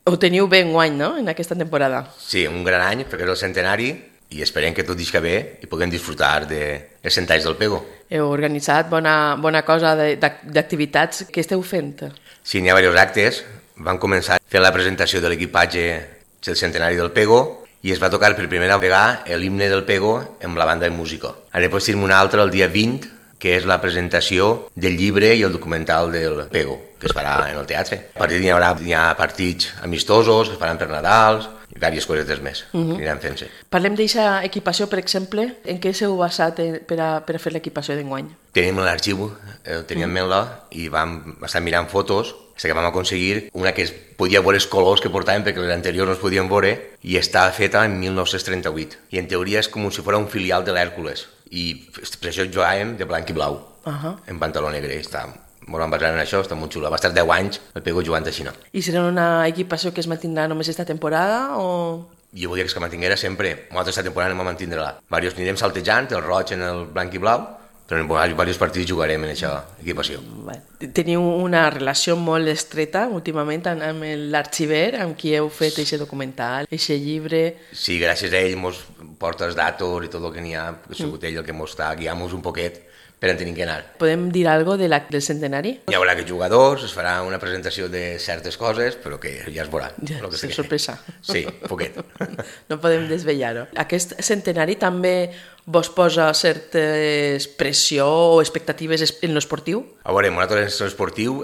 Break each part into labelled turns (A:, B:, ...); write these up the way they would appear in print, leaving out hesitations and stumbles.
A: Ho teniu bé enguany, no?, en aquesta temporada.
B: Sí, un gran any, perquè és el centenari, i esperem que tot isca bé i puguem disfrutar dels 100 anys del Pego.
A: Heu organitzat bona cosa d'activitats. Què esteu fent?
B: Sí, n'hi ha diversos actes. Vam començar fent la presentació de l'equipatge del centenari del Pego i es va tocar per primera vegada l'himne del Pego amb la banda de música. Ara després tenim un altre el dia 20, que és la presentació del llibre i el documental del Pego, que es farà en el teatre. A partir d'hi ha partits amistosos, es faran per Nadals, i diverses cosetes més que aniran fent-se.
A: Parlem d'aquesta equipació, per exemple. En què s'heu basat per a fer l'equipació d'enguany?
B: Tenim l'arxiu, el teníem Menla, i vam estar mirant fotos, fins que vam aconseguir una que es podia veure els colors que portàvem, perquè les anteriors no es podien veure, i està feta en 1938. I en teoria és com si fos un filial de l'Hèrcules. I per això jugàvem de blanc i blau, en pantaló negre. Molt van basar en això, està molt xula. Va estar 10 anys el Pego jugant així, no?
A: I serà una equipació que es mantindrà només esta temporada o...?
B: Jo volia que es mantinguera sempre. Nosaltres esta temporada anem a mantindre-la. Varios anirem saltejant, el roig en el blanc i blau, però en diversos partits jugarem en aquesta equipació.
A: Teniu una relació molt estreta últimament amb l'arxiver, amb qui heu fet aquest documental, aquest llibre...
B: Sí, gràcies a ell mos porta els datos i tot el que n'hi ha, ha sigut ell el que mos està guiant-nos un poquet per on tenim que anar.
A: Podem dir alguna cosa del centenari?
B: Hi haurà aquests jugadors, es farà una presentació de certes coses, però que ja es veurà.
A: Ja, és sorpresa.
B: Sí, poquet.
A: No podem desvetllar-ho. Aquest centenari també vos posa certes pressió o expectatives en l'esportiu?
B: A veure, nosaltres en l'esportiu,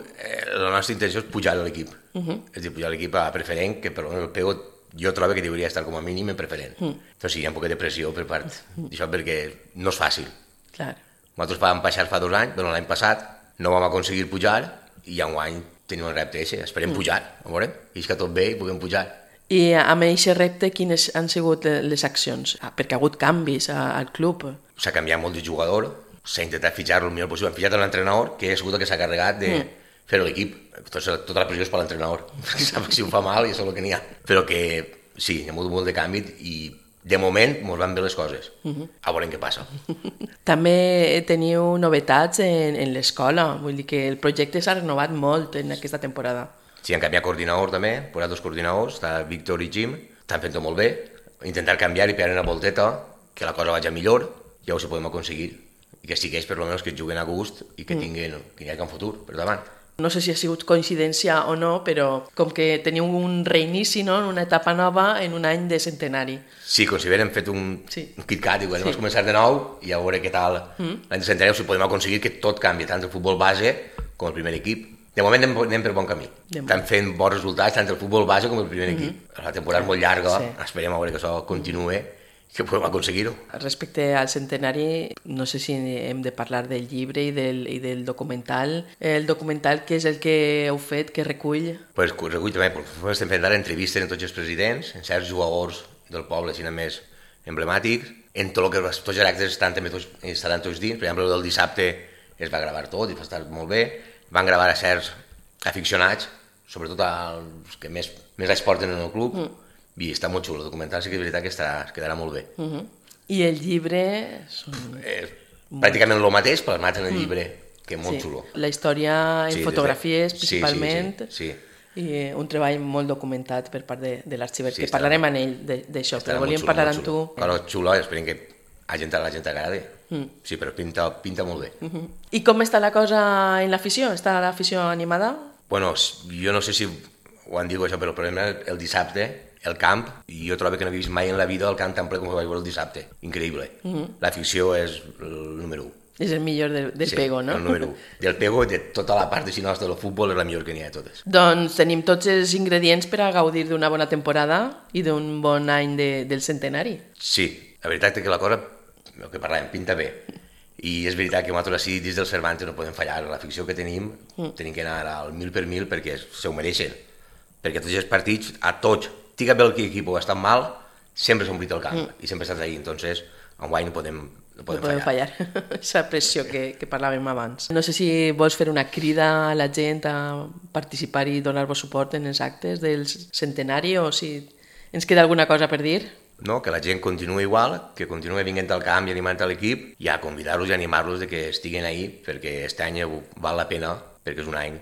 B: la nostra intenció és pujar a l'equip. És dir, pujar a l'equip a preferent, que per el Pego jo trobo que hauria d'estar com a mínim en preferent. Doncs sí, hi ha un poquet de pressió per part d'això, perquè no és fàcil.
A: Clar.
B: Nosaltres vam baixar fa 2 anys, però l'any passat no vam aconseguir pujar i enguany tenim el repte ese. Esperem pujar, a veure, i és que tot bé i puguem pujar.
A: I amb aquest repte, quines han sigut les accions? Perquè ha hagut canvis al club.
B: S'ha canviat molt de jugador, s'ha intentat fitxar-lo el millor possible. Hem fitxat l'entrenador, que ha sigut el que s'ha carregat de fer l'equip. Tota la pressió és per l'entrenador, perquè sap que si ho fa mal i això és el que n'hi ha. Però que sí, hi ha molt de canvi i de moment mos van bé les coses. A veure què passa.
A: També teniu novetats en l'escola, vull dir que el projecte s'ha renovat molt en aquesta temporada.
B: Sí, han canviat coordinador també, han posat 2 coordinadors, està Víctor i Jim, estan fent-ho molt bé, intentar canviar i pegar una volteta, que la cosa vagi millor, ja ho si podem aconseguir, i que sigueix per almenys que juguen a gust i que tinguin que hi hagi un futur per davant.
A: No sé si ha sigut coincidència o no, però com que teniu un reinici, no?, una etapa nova en un any de centenari.
B: Sí, com si hem fet un KitKat i anem a començar de nou i a veure què tal l'any de centenari, o si podem aconseguir que tot canvi, tant el futbol base com el primer equip. De moment anem per bon camí. Estan fent bons resultats tant el futbol base com el primer equip. La temporada és molt llarga, esperem a veure que això continuï, que podem aconseguir-ho.
A: Respecte al centenari, no sé si hem de parlar del llibre i del documental. El documental, què és el que heu fet, que recull?
B: Pues recull també, estem fent ara entrevistes amb tots els presidents, en certs jugadors del poble, sinó més emblemàtics, en tot el que tots els actes estaran tots dins. Per exemple, el del dissabte es va gravar tot i va estar molt bé. Van gravar a certs aficionats, sobretot els que més els porten en el club, i està molt xulo, el documental sí que és veritat que quedarà molt bé.
A: I el llibre...
B: Pràcticament el mateix, plasmat en el llibre, que és molt xulo.
A: La història en fotografies, principalment, i un treball molt documentat per part de l'arxiver, que parlarem amb ell d'això, però volíem parlar amb tu.
B: Cosa xula, esperem que a la gent agradi. Sí, però pinta molt bé.
A: I com està la cosa en l'afició? Està l'afició animada?
B: Bueno, jo no sé si ho han dit això, però el problema és el dissabte, el camp, i jo trobo que no he vist mai en la vida el camp tan ple com ho vaig veure el dissabte. Increïble. L'afició és el número 1.
A: És el millor del Pego, no?
B: Sí, el número 1. Del Pego i de tota la part de nostra del futbol és la millor que n'hi ha de totes.
A: Doncs tenim tots els ingredients per a gaudir d'una bona temporada i d'un bon any del centenari.
B: Sí, la veritat és que la cosa, el que parlàvem, pinta bé. I és veritat que nosaltres així dins del Cervantes no podem fallar. L'afició que tenim que anar al 1000 per 1000 perquè se ho mereixen. Perquè tots els partits, a tots, tinga bé l'equip o estan mal, sempre s'ha omplit el camp i sempre estàs ahí. Entonces, enguany no podem fallar.
A: Aquesta pressió que parlàvem abans. No sé si vols fer una crida a la gent a participar i donar-vos suport en els actes del centenari o si ens queda alguna cosa per dir.
B: No, que la gent continuï igual, que continuï vinguent al camp i animant a l'equip i a convidar-los i animar-los de que estiguin ahí perquè aquest any val la pena perquè és un any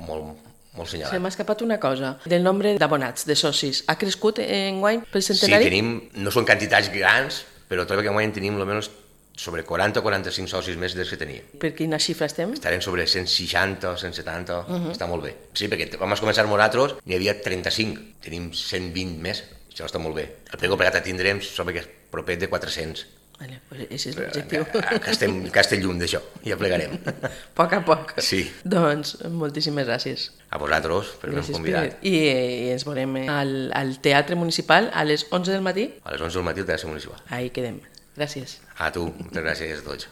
B: molt, molt
A: Se
B: senyalat.
A: m'ha escapat una cosa, del nombre d'abonats, de socis. Ha crescut enguany pel
B: Sí,
A: centenari?
B: no són quantitats grans, però trobo que enguany tenim almenys sobre 40 o 45 socis més dels que teníem.
A: Per quina xifra estem?
B: Estarem sobre 160 o 170, està molt bé. Sí, perquè vam començar nosaltres, n'hi havia 35, tenim 120 més, això està molt bé. El Pego Plegat tindrem sobre que és proper de 400.
A: Vale, pues ese és l'objectiu.
B: Que estem lluny d'això, ja plegarem.
A: A poc a poc.
B: Sí.
A: Doncs moltíssimes gràcies.
B: A vosaltres, per haver-nos
A: Gràcies,
B: convidat.
A: Pere. I ens veurem al Teatre Municipal a les 11 del matí.
B: A les 11 del matí al Teatre Municipal.
A: Ahí quedem. Gràcies.
B: A tu, moltes gràcies a tots.